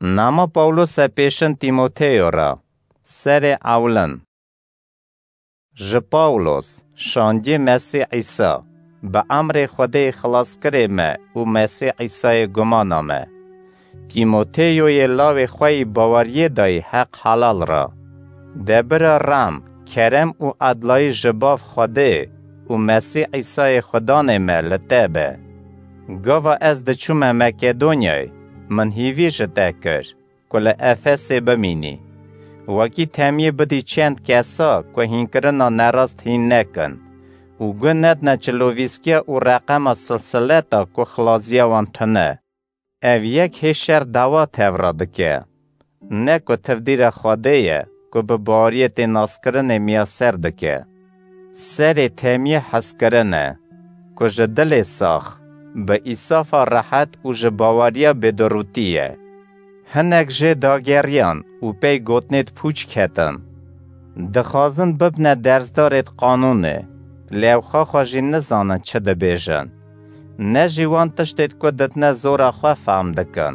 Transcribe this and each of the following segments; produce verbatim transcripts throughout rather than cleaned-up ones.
Nama Pawlose pêşin Tîmoteyo re. Serê ewlin. Ji Pawlos, şandiyê Mesîh Îsa, bi emrê Xwedê Xilaskirê me û Mesîh Îsayê gumana me. Tîmoteyoyê lawê xwe yî baweriyê dayî heq helal re. De bira rem, kerem û edlayî ji Bav Xwedê û Mesîh Îsayê Xudanê me li te be. Gava ez diçûme Makedonyayê, min hîvî ji te kir ku li Efesê bimînî. Wekî temiyê bidî çend kesa ku hînkirina nerast hîn nekin û guh nedine çilovîskiya û reqema silsileta ku xilaziya wan tune. Ev yek hê şer dawa tevra dike. Ne ku tevdîra Xwedê ye ku bi baweriyê tê naskirinê miyaser dike. Serê temiyê hezkirin e, ku ji dilê sax, bi îsafa rehet û ji baweriya bêdorûtî ye. Hinek jê dageriyan û pey gotinêd pûç ketin. Dixwazin bibne dersdarêd qanûnê, lê ew xwexa jî nizanin çi dibêjin. Ne jî wan tiştêd ku ditine zora xwe fehm dikin.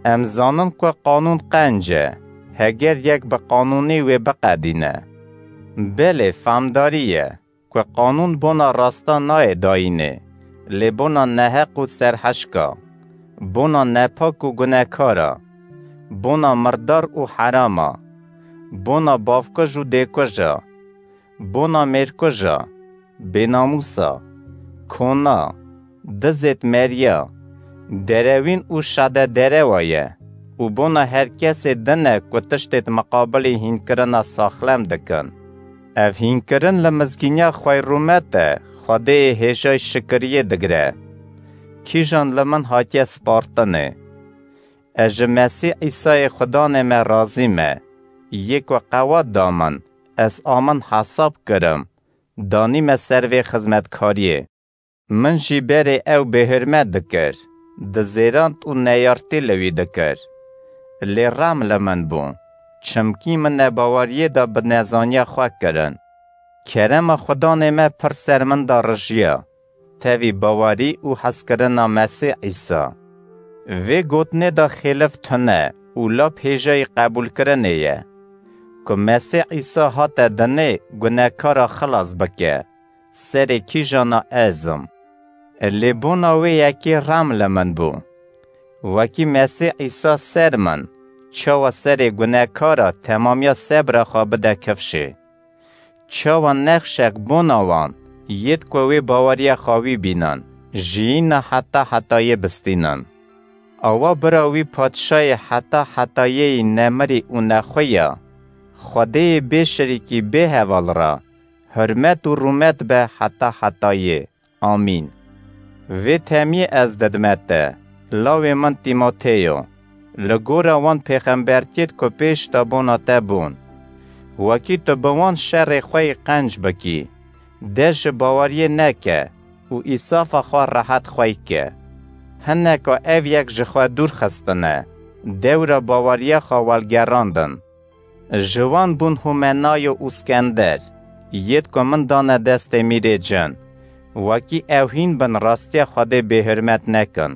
Em zanin ku qanûn qenc e, heger yek bi qanûnî wê biqedîne. Belê, fehmdarî ye ku qanûn bona rasta nayê dayînê, lê bona neheq û serheşka, bona nepak û gunekara, bona mirdar û herama, bona bavkuj û dêkuja, bona mêrkuja, bênamûsa, kona, dizêd meriya, derewîn û şade derewa ye û bona her kesê din e ku tiştêd miqabilî hînkirina saxlem dikin. Ev hînkirin li mizgîniya xweyrûmet e, Xwedêyê hêjayî şikiriyê digire. Kîjan li min hatiye spartinê? Ez ji Mesîh Îsayê Xudanê me razî me, yê ku qewat da min, ez a min hesab kirim, danî me ser vê xizmetkariyê. Min jî berê ew bêhurmet dikir, dizêrand û neyartî li wî dikir. Lê rem li min bû, çimkî min nebaweriyê de bi nezaniya xwe kirin. Kerema Xudanê me pir ser min de rijiya, tevî bawerî û hezkirina Mesîh Îsa. Vê gotinê de xêlif tune û lap hêjayî qebûlkirinê ye, ku Mesîh Îsa hate dinê gunekara xilas bike, serê kîjana ez im. Lê bona wê yekê rem li min bû. Wekî Mesîh Îsa ser min, çawa serê gunekara temamiya sebra xwe bide kifşê? Çawa nexşek bona wan, yêd ku wê baweriya xwe wî bînin, jiyîna heta hetayê bistînin? Awa bira wî padşayê heta hetayê yî nemirî û nexwe ya, Xwedêyê bê şirîkî bê heval re, hurmet û rûmet be heta hetayê. Amîn. Vê temiyê ez didime te, lawê min Tîmoteyo, li gora wan pêxembertiyêd ku pêş de bona te bûn. Wekî tu bi wan şerê xwe yî qenc bikî, dest ji baweriyê neke û îsafa xwe rehet xwey ke. Hineka ev yek ji xwe dûr xistine, dewra baweriya xwe welgerandin. Ji wan bûn Humenayo û Skender, yêd ku min dane destê mîrê cin, wekî ew hîn bin rastiya Xwedê bêhurmet nekin.